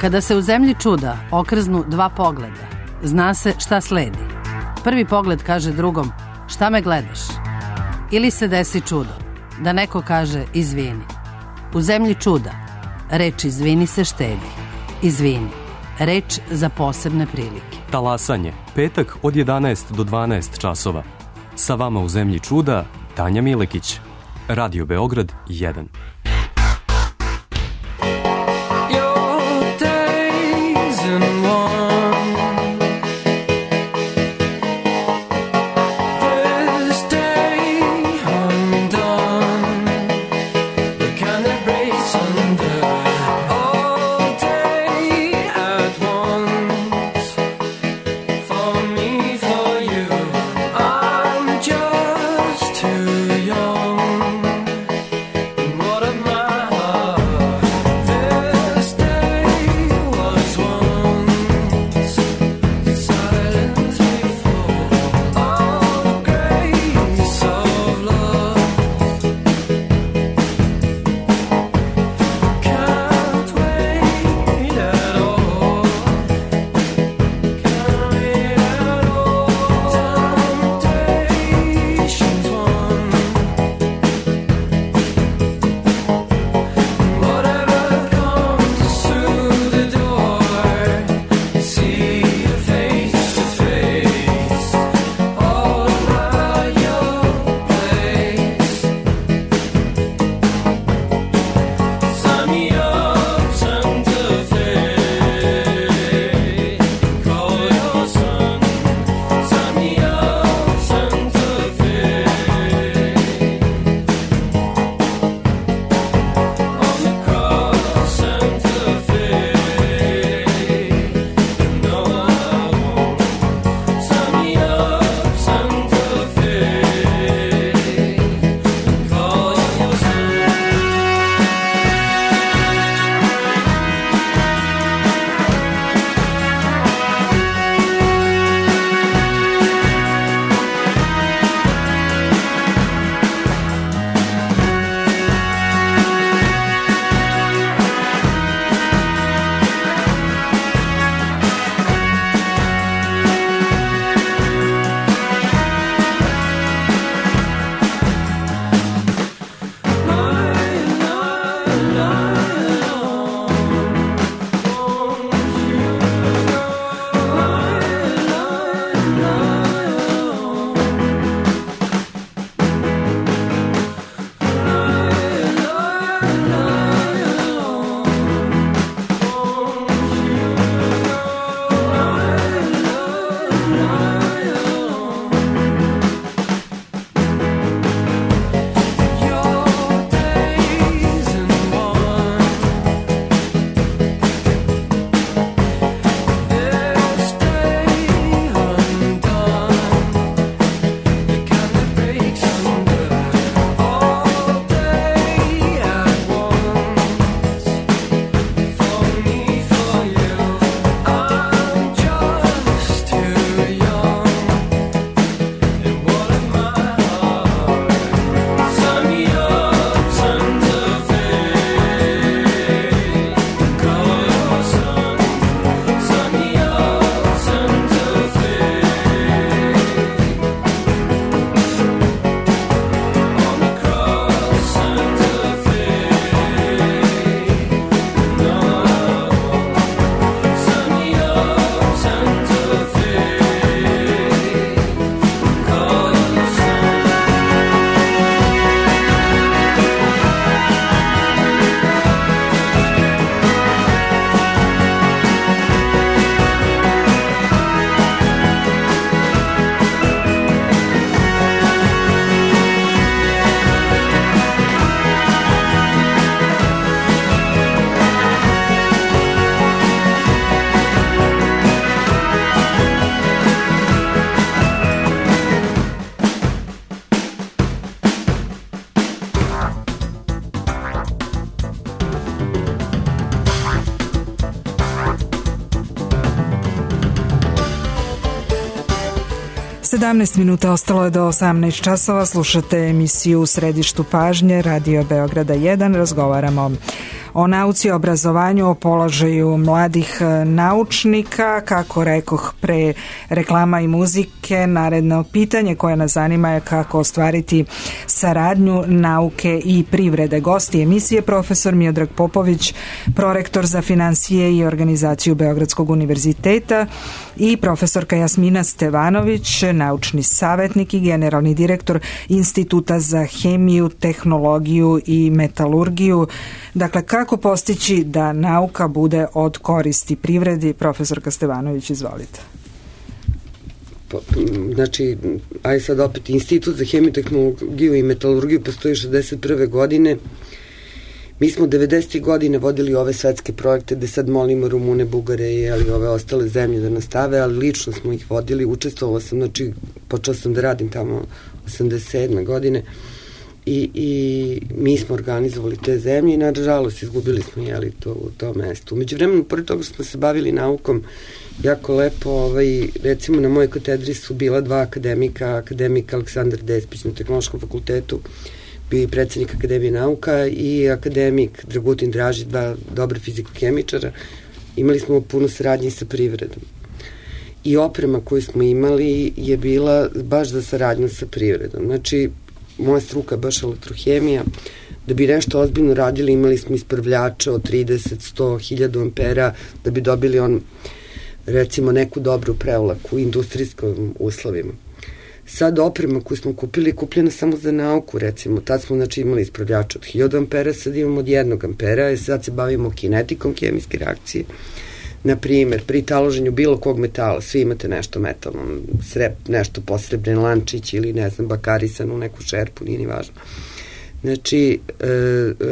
Kada se u zemlji čuda okrznu dva pogleda, zna se šta sledi. Prvi pogled kaže drugom, šta me gledaš? Ili se desi čudo, da neko kaže izvini. U zemlji čuda, reč izvini se štedi. Izvini, reč za posebne prilike. Talasanje, petak od jedanaest do dvanaest časova. Sa vama u zemlji čuda, Tanja Milekić. Radio Beograd jedan. What a sedamnaest minuta, ostalo je do osamnaest časova. Slušate emisiju U središtu pažnje Radio Beograda jedan. Razgovaramo o nauci, obrazovanju, o položaju mladih naučnika. Kako rekoh pre reklama i muzike, naredno pitanje koje nas zanima je kako ostvariti saradnju nauke i privrede. Gosti emisije profesor Miodrag Popović, prorektor za finansije i organizaciju Beogradskog univerziteta, i profesorka Jasmina Stevanović, naučni savjetnik i generalni direktor Instituta za hemiju, tehnologiju i metalurgiju. Dakle, kako postići da nauka bude od koristi privredi? Profesorka Stevanović, izvolite. Znači, aj sad opet, Institut za hemiju, tehnologiju i metalurgiju postoji šezdeset prve godine. Mi smo devedesetih godine vodili ove svetske projekte gde sad molimo Rumune, Bugare i ali ove ostale zemlje da nastave, ali lično smo ih vodili, učestvovala sam, znači počela sam da radim tamo osamdeset sedme godine i, i mi smo organizovali te zemlje i nažalost izgubili smo jeli, to, u tom mestu. Umeđu vremenu, pored toga što smo se bavili naukom, jako lepo, ovaj, recimo na mojoj katedri su bila dva akademika, akademik Aleksandar Despić na Tehnološkom fakultetu, bio i predsjednik Akademije nauka, i akademik Dragutin Dražić, dva dobra fiziko-hemičara. Imali smo puno saradnje sa privredom. I oprema koju smo imali je bila baš za saradnju sa privredom. Znači, moja struka je baš elektrohemija. Da bi nešto ozbiljno radili, imali smo ispravljača od trideset, sto, hiljadu ampera, da bi dobili on, recimo, neku dobru prevlaku u industrijskim uslovima. Sad oprema koju smo kupili je kupljena samo za nauku, recimo. Tad smo, znači, imali ispravljača od hiljadu ampera, sad imamo od jednog ampera, i sad se bavimo kinetikom hemijske reakcije. Naprimer, pri taloženju bilo kog metala, svi imate nešto metalno, srep, nešto posrebren lančić ili, ne znam, bakarisanu neku šerpu, nije ni važno. Znači, e,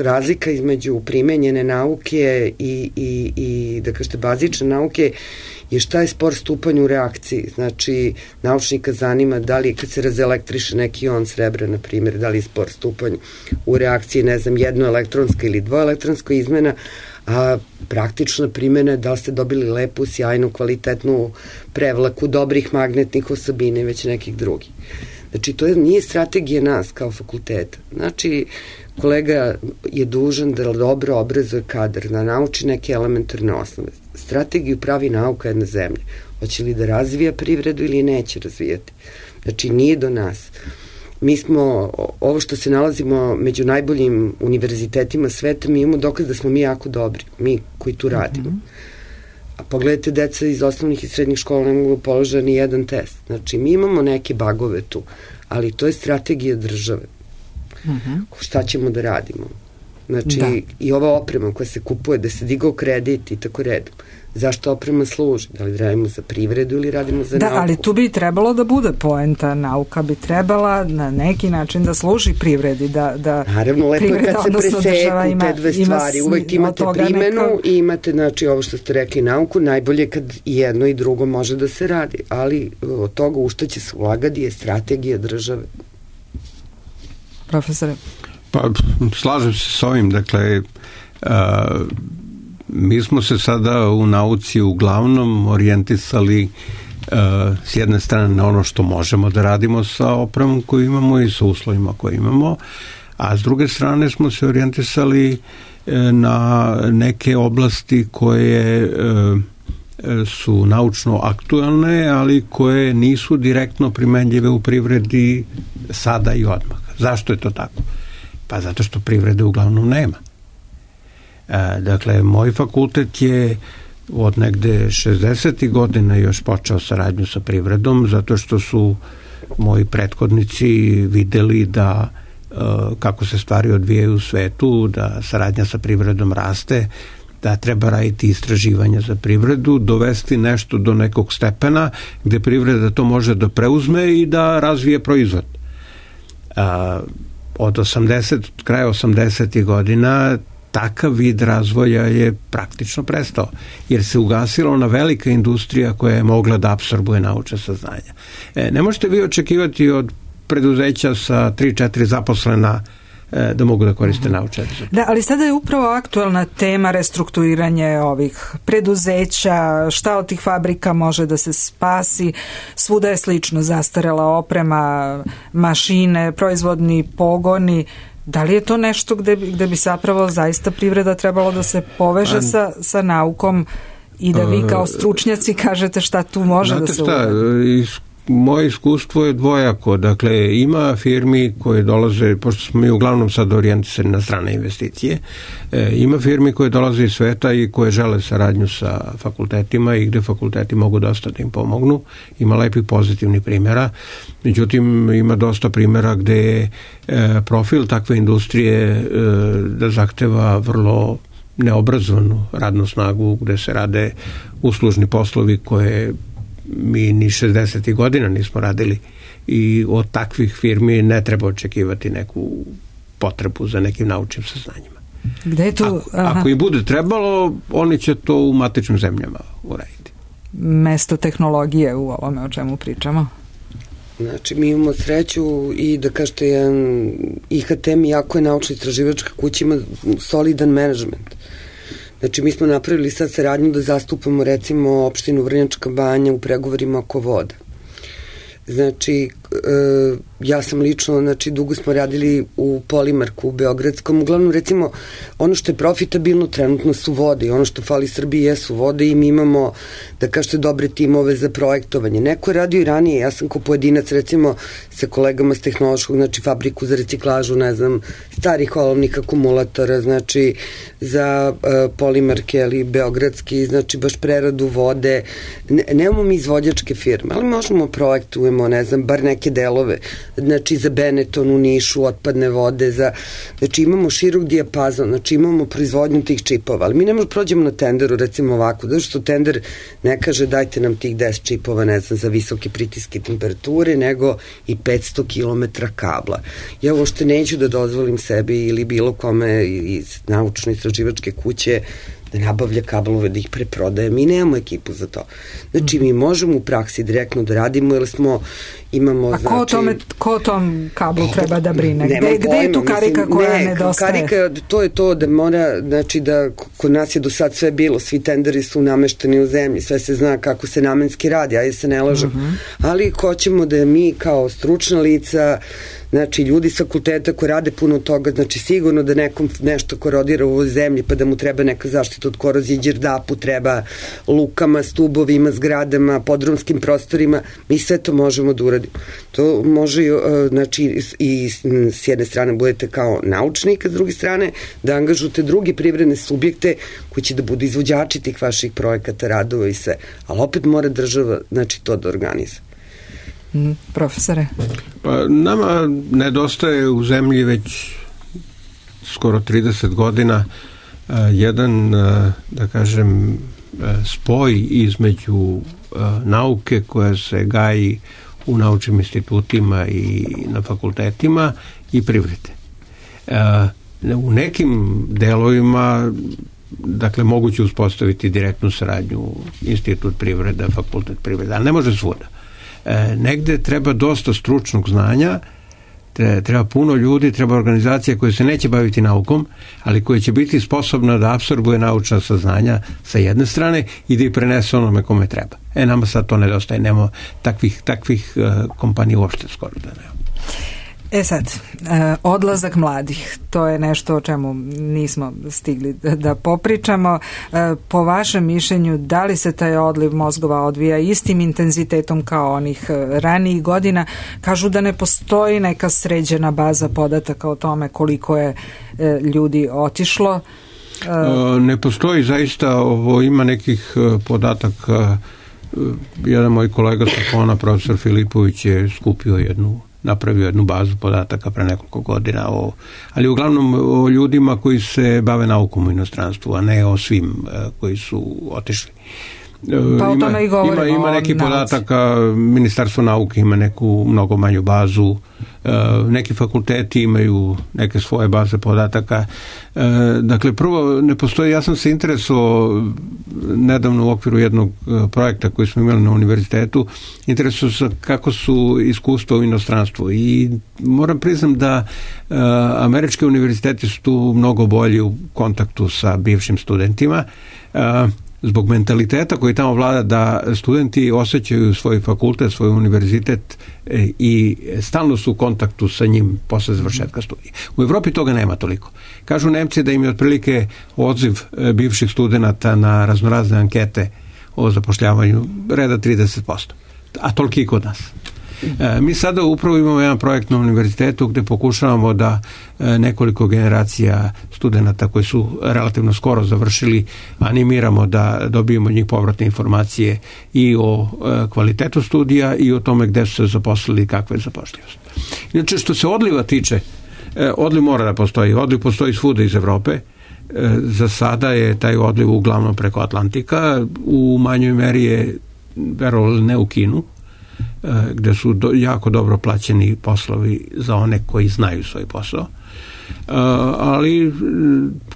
razlika između primenjene nauke i, i, i da kažete, bazične nauke je šta je spor stupanj u reakciji. Znači, naučnika zanima da li kad se razelektriše neki ion srebra, na primjer, da li je spor stupanj u reakciji, ne znam, jednoelektronska ili dvoelektronska izmena, a praktična primjena je da li ste dobili lepu, sjajnu, kvalitetnu prevlaku dobrih magnetnih osobina i već nekih drugih. Znači, to je, nije strategija nas kao fakulteta. Znači, kolega je dužan da dobro obrazuje kadar, da nauči neke elementarne osnove. Strategiju pravi nauka jedne zemlje. Hoće li da razvija privredu ili neće razvijati. Znači, nije do nas. Mi smo, ovo što se nalazimo među najboljim univerzitetima sveta, mi imamo dokaz da smo mi jako dobri, mi koji tu radimo. A pogledajte, deca iz osnovnih i srednjih škola ne mogu položiti ni jedan test. Znači, mi imamo neke bagove tu, ali to je strategija države. Uh-huh. Šta ćemo da radimo? Znači, da. I ova oprema koja se kupuje, da se digao kredit i tako redom. Zašto oprema služi? Da li radimo za privredu ili radimo za da, nauku? Da, ali tu bi trebalo da bude poenta. Nauka bi trebala na neki način da služi privredi. Da, da Naravno, lepo je kad se preseku te dve stvari. Ima, uvek imate primenu neko... i imate, znači, ovo što ste rekli, nauku. Najbolje kad jedno i drugo može da se radi. Ali od toga u šta će se ulagati je strategija države. Profesore? Pa, slažem se s ovim. Dakle, a, mi smo se sada u nauci uglavnom orijentisali uh, s jedne strane na ono što možemo da radimo sa opremom koju imamo i sa uslovima koje imamo, a s druge strane smo se orijentisali uh, na neke oblasti koje uh, su naučno aktuelne, ali koje nisu direktno primenljive u privredi sada i odmah. Zašto je to tako? Pa zato što privrede uglavnom nema. Dakle, moj fakultet je od negde šezdesetih godina još počeo saradnju sa privredom, zato što su moji prethodnici videli da kako se stvari odvijaju u svetu, da saradnja sa privredom raste, da treba raditi istraživanja za privredu, dovesti nešto do nekog stepena gde privreda to može da preuzme i da razvije proizvod. Od osamdeset, kraja osamdesetih godina takav vid razvoja je praktično prestao, jer se ugasila ona velika industrija koja je mogla da apsorbuje naučna saznanja. E, ne možete vi očekivati od preduzeća sa tri četiri zaposlena da mogu da koriste naučne rezultate. Da, ali sada je upravo aktuelna tema restrukturiranje ovih preduzeća, šta od tih fabrika može da se spasi, svuda je slično, zastarela oprema, mašine, proizvodni pogoni. Da li je to nešto gde, gde bi zapravo zaista privreda trebalo da se poveže sa, sa naukom i da vi kao stručnjaci kažete šta tu može da se uradi? Moje iskustvo je dvojako. Dakle, ima firmi koje dolaze, pošto smo mi uglavnom sad orijentisani na strane investicije, e, ima firmi koje dolaze iz sveta i koje žele saradnju sa fakultetima i gde fakulteti mogu dosta da im pomognu. Ima lepih pozitivnih primjera. Međutim, ima dosta primjera gde je e, profil takve industrije e, da zahteva vrlo neobrazovanu radnu snagu, gde se rade uslužni poslovi koje mi ni šezdesetih godina nismo radili i od takvih firmi ne treba očekivati neku potrebu za nekim naučnim saznanjima. Gde je tu? Ako, ako i bude trebalo, oni će to u matičnim zemljama uraditi. Mesto tehnologije u ovome o čemu pričamo? Znači, mi imamo sreću i da kažete, jedan I H T jako je naučno-istraživačka kuća, ima solidan menadžment. Znači, mi smo napravili sad saradnju da zastupamo, recimo, opštinu Vrnjačka Banja u pregovorima oko voda. Znači, e, ja sam lično, znači, dugo smo radili u Polimarku, u Beogradskom. Uglavnom, recimo, ono što je profitabilno trenutno su vode i ono što fali Srbiji jesu vode i mi imamo, da kažete, dobre timove za projektovanje. Neko je radio i ranije, ja sam kao pojedinac, recimo, sa kolegama s tehnološkog, znači, fabriku za reciklažu, ne znam, starih olovnih akumulatora, znači, za e, Polimarke, ali Beogradski, znači, baš preradu vode. Ne, nemamo mi izvođačke firme, ali možemo projektujemo, ne znam, bar neke delove, znači za Benetton u Nišu, otpadne vode, za, znači imamo širok dijapazon, znači imamo proizvodnju tih čipova, ali mi ne možemo prođemo na tenderu, recimo ovako, zato što tender ne kaže dajte nam tih deset čipova, ne znam, za visoke pritiske temperature, nego i petsto kilometara kabla. Ja uopšte neću da dozvolim sebi ili bilo kome iz naučno-istraživačke kuće da nabavlja kablove, da ih preprodaje. Mi nemamo ekipu za to. Znači, mi možemo u praksi direktno da radimo, jer smo, imamo, A znači... ko, tome, ko tom kablu treba da brine? Gde, gde je tu karika mislim, koja ne, nedostaje? Karika, to je to da mora, znači da kod nas je do sad sve bilo, svi tenderi su namešteni u zemlji, sve se zna kako se namenski radi, ajde se ne lažem. Uh-huh. Ali hoćemo da mi kao stručna lica, znači ljudi s fakulteta koji rade puno toga, znači sigurno da nekom nešto korodira u ovoj zemlji pa da mu treba neka zaštita od korozije, đerdapu treba, lukama, stubovima, zgradama, podrumskim prostorima, mi sve to možemo da uradimo. To može, znači, i s jedne strane budete kao naučnik, a s druge strane da angažujete drugi privredne subjekte koji će da budu izvođači tih vaših projekata, radova i sve. Ali opet mora država, znači, to da organizuje. Mm, profesore? Pa, nama nedostaje u zemlji već skoro trideset godina uh, jedan, uh, da kažem, uh, spoj između uh, nauke koja se gaji u naučnim institutima i na fakultetima i privrede. Uh, u nekim delovima, dakle, moguće uspostaviti direktnu saradnju institut privreda, fakultet privreda, ali ne može svuda. E, negde treba dosta stručnog znanja, treba puno ljudi, treba organizacija koja se neće baviti naukom, ali koja će biti sposobna da apsorbuje naučna saznanja sa jedne strane i da ih prenese onome kome treba. E, nama sad to nedostaje, nema takvih, takvih uh, kompanija uopšte skoro da nema. E sad, odlazak mladih, to je nešto o čemu nismo stigli da popričamo. Po vašem mišljenju, da li se taj odliv mozgova odvija istim intenzitetom kao onih ranijih godina? Kažu da ne postoji neka sređena baza podataka o tome koliko je ljudi otišlo. Ne postoji zaista, ovo ima nekih podataka. Jedan moj kolega sa Kona, profesor Filipović, je skupio jednu napravio jednu bazu podataka pre nekoliko godina, o, ali uglavnom o ljudima koji se bave naukom u inostranstvu, a ne o svim koji su otišli. Pa o tome i govorimo. Ima, ima neki podataka, Ministarstvo nauke ima neku mnogo manju bazu, neki fakulteti imaju neke svoje baze podataka. Dakle, prvo, ne postoji, ja sam se interesovao nedavno u okviru jednog projekta koji smo imali na univerzitetu, interesovao se kako su iskustva u inostranstvu i moram priznam da američki univerziteti su tu mnogo bolji u kontaktu sa bivšim studentima, zbog mentaliteta koji tamo vlada da studenti osjećaju svoj fakultet, svoj univerzitet i stalno su u kontaktu sa njim posle završetka studija. U Evropi toga nema toliko. Kažu Nemci da im je otprilike odziv bivših studenata na raznorazne ankete o zapošljavanju reda trideset posto, a toliki i kod nas. Mi sada upravo imamo jedan projekt na univerzitetu gde pokušavamo da nekoliko generacija studenata koji su relativno skoro završili animiramo da dobijemo od njih povratne informacije i o kvalitetu studija i o tome gde su se zaposlili i kakva je zapošljivost. Inače, što se odliva tiče, odliv mora da postoji. Odliv postoji svuda iz Evrope. Za sada je taj odliv uglavnom preko Atlantika. U manjoj meri je, verovali ne, u Kinu, gde su do, jako dobro plaćeni poslovi za one koji znaju svoj posao. Ali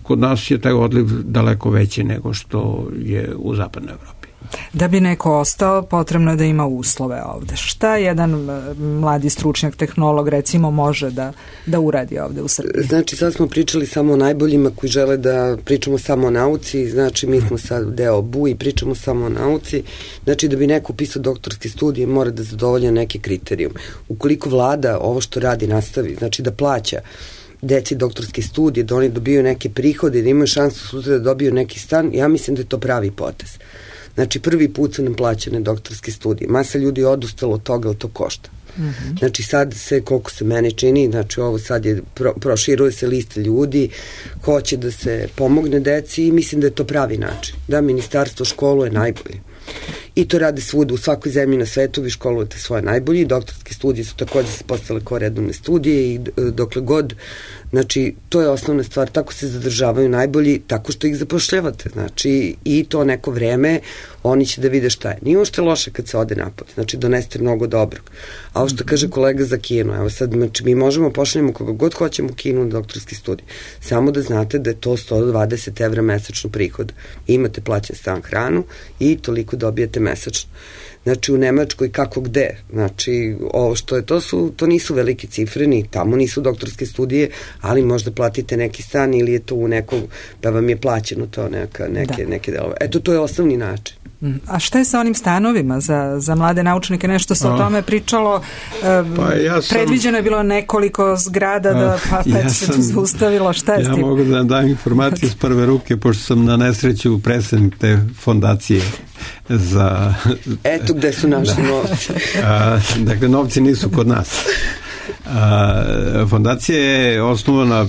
kod nas je taj odliv daleko veći nego što je u zapadnoj Evropi. Da bi neko ostao, potrebno je da ima uslove ovde. Šta jedan mladi stručnjak, tehnolog recimo može da, da uradi ovde u Srbiji? Znači sad smo pričali samo o najboljima koji žele da pričamo samo o nauci, znači mi smo sad deo B U i pričamo samo o nauci, znači da bi neko upisao doktorske studije mora da zadovolja neke kriterijume. Ukoliko vlada ovo što radi nastavi, znači da plaća deci doktorske studije, da oni dobiju neke prihode, da imaju šansu sutra da dobiju neki stan, ja mislim da je to pravi potez. Znači, prvi put su nam plaćene doktorske studije. Masa ljudi je odustalo od toga, ali to košta. Mm-hmm. Znači, sad se, koliko se mene čini, znači ovo sad je, pro, proširuje se lista ljudi, hoće da se pomogne deci i mislim da je to pravi način. Da, ministarstvo školuje najbolje. I to rade svuda, u svakoj zemlji na svetu vi školujete svoje najbolje. Doktorske studije su takođe se postale kao redovne studije i dokle god, znači to je osnovna stvar, tako se zadržavaju najbolji, tako što ih zapošljavate, znači i to neko vreme oni će da vide šta je. Nije ošte loše kad se ode napad, znači doneste mnogo dobrog. A ovo što kaže kolega za Kinu, evo sad, znači mi možemo pošaljemo koga god hoćemo u Kinu na doktorski studij, samo da znate da je to sto dvadeset evra mesečno prihod. Imate plaćen stan, hranu i toliko dobijete mesečno. Znači u Nemačkoj kako gde, znači ovo što je, to su, to nisu velike cifre, ni tamo nisu doktorske studije, ali možda platite neki stan ili je to u nekog, da vam je plaćeno to neka, neke, da. neke delove. Eto, to je osnovni način. A šta je sa onim stanovima za, za mlade naučnike? Nešto se o tome pričalo, pa ja sam, predviđeno je bilo nekoliko zgrada, da, pa ja pet se zaustavilo, šta je ja s tim? Ja mogu da vam dam informacije s prve ruke, pošto sam na nesreću predsednik te fondacije za... Eto gde su naši da. novci. A, dakle, novci nisu kod nas. A, fondacija je osnovana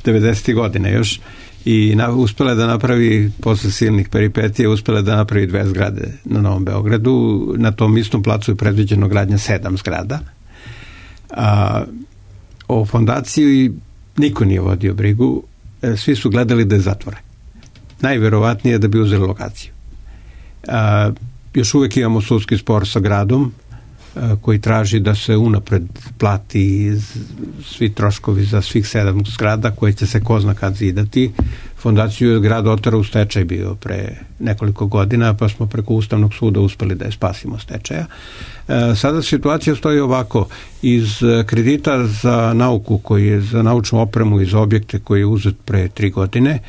devedesetih godine još i na, uspela da napravi, posle silnih peripetija, uspela da napravi dve zgrade na Novom Beogradu. Na tom istom placu je predviđeno gradnja sedam zgrada. A, o fondaciji niko nije vodio brigu, svi su gledali da je zatvore. Najverovatnije da bi uzeli lokaciju. A, još uvek imamo sudski spor sa gradom a, koji traži da se unapred plati svi troškovi za svih sedam zgrada koje će se ko zna kad zidati. Fondaciju je grad otara u stečaj bio pre nekoliko godina, pa smo preko Ustavnog suda uspeli da je spasimo stečaja. E, sada situacija stoji ovako. Iz kredita za nauku, koji je za naučnu opremu iz objekte koji je uzet pre tri godine,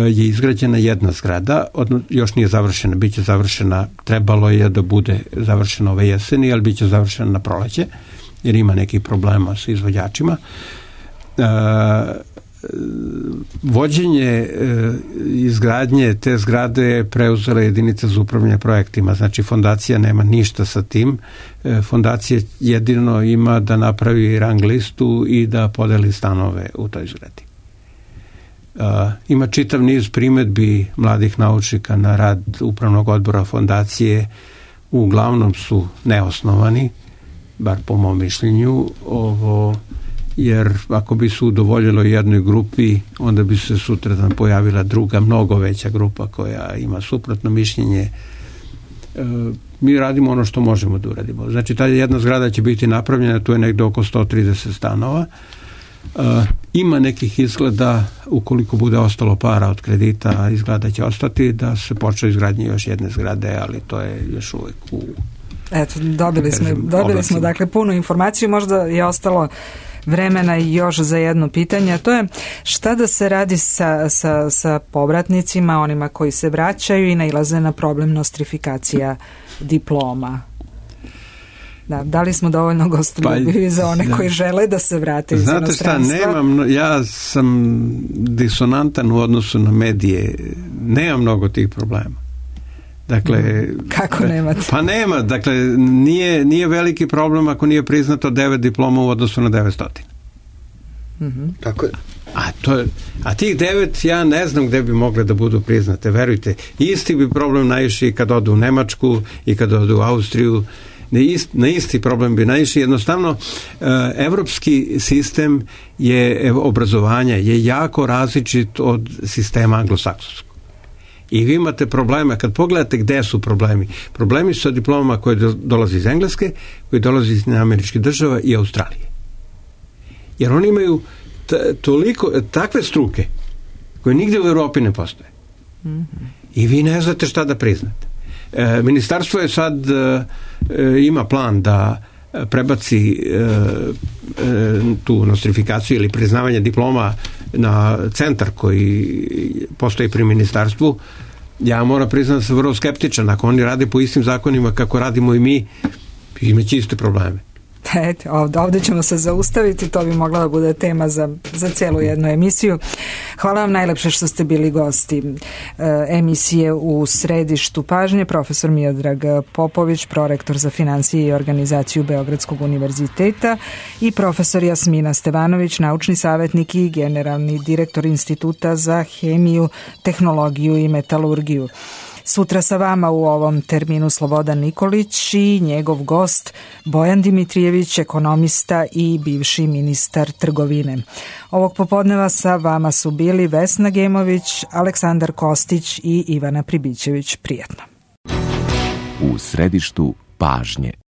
je izgrađena jedna zgrada, odno, još nije završena, bit će završena, trebalo je da bude završena ove jeseni, ali bit će završena na proleće, jer ima nekih problema sa izvođačima. E, vođenje e, izgradnje te zgrade je preuzela jedinica za upravljanje projektima, znači fondacija nema ništa sa tim, e, fondacija jedino ima da napravi rang listu i da podeli stanove u toj zgradi. Uh, ima čitav niz primedbi mladih naučnika na rad upravnog odbora fondacije, uglavnom su neosnovani, bar po mom mišljenju, ovo, jer ako bi se udovoljilo jednoj grupi, onda bi se sutradan pojavila druga, mnogo veća grupa koja ima suprotno mišljenje mi radimo ono što možemo da uradimo. Znači, ta jedna zgrada će biti napravljena, tu je negde oko sto trideset stanova. Ima nekih izgleda, ukoliko bude ostalo para od kredita, izgleda će ostati, da se počne izgradnje još jedne zgrade, ali to je još uvek u... Eto, dobili smo, dobili smo dakle punu informaciju, možda je ostalo vremena i još za jedno pitanje, to je šta da se radi sa, sa, sa povratnicima, onima koji se vraćaju i nailaze na problem nostrifikacija diploma. Da, da li smo dovoljno gostoljubivi pa, za one koji žele da se vrate iz inostranstva? Znate šta, nemam, ja sam disonantan u odnosu na medije, nemam mnogo tih problema. Dakle, kako nemate? Pa nema, dakle, nije, nije veliki problem ako nije priznato devet diploma u odnosu na devetsto. Mm-hmm. Tako je. A, to je, a tih devet ja ne znam gde bi mogle da budu priznate, verujte. Isti bi problem naišli kad odu u Nemačku i kad odu u Austriju. Na isti, na isti problem bi naišli. Jednostavno, evropski sistem je obrazovanja je jako različit od sistema anglosaksonskog. I vi imate probleme, kad pogledate gde su problemi. Problemi su sa diplomama koje dolaze iz Engleske, koji dolaze iz američkih država i Australije. Jer oni imaju t- toliko, takve struke koje nigde u Evropi ne postoje. Mm-hmm. I vi ne znate šta da priznate. E, ministarstvo je sad e, ima plan da prebaci e, e, tu nostrifikaciju ili priznavanje diploma na centar koji postoji pri ministarstvu. Ja moram priznati da sam vrlo skeptičan. Ako oni rade po istim zakonima kako radimo i mi, imaće iste probleme. Eto, ovde, ovde ćemo se zaustaviti, to bi mogla da bude tema za, za celu jednu emisiju. Hvala vam najlepše što ste bili gosti e, emisije U središtu pažnje, profesor Miodrag Popović, prorektor za finansije i organizaciju Beogradskog univerziteta, i profesor Jasmina Stevanović, naučni savjetnik i generalni direktor Instituta za hemiju, tehnologiju i metalurgiju. Sutra sa vama u ovom terminu Slobodan Nikolić i njegov gost Bojan Dimitrijević, ekonomista i bivši ministar trgovine. Ovog popodneva sa vama su bili Vesna Gemović, Aleksandar Kostić i Ivana Pribićević. Prijatno. U središtu pažnje.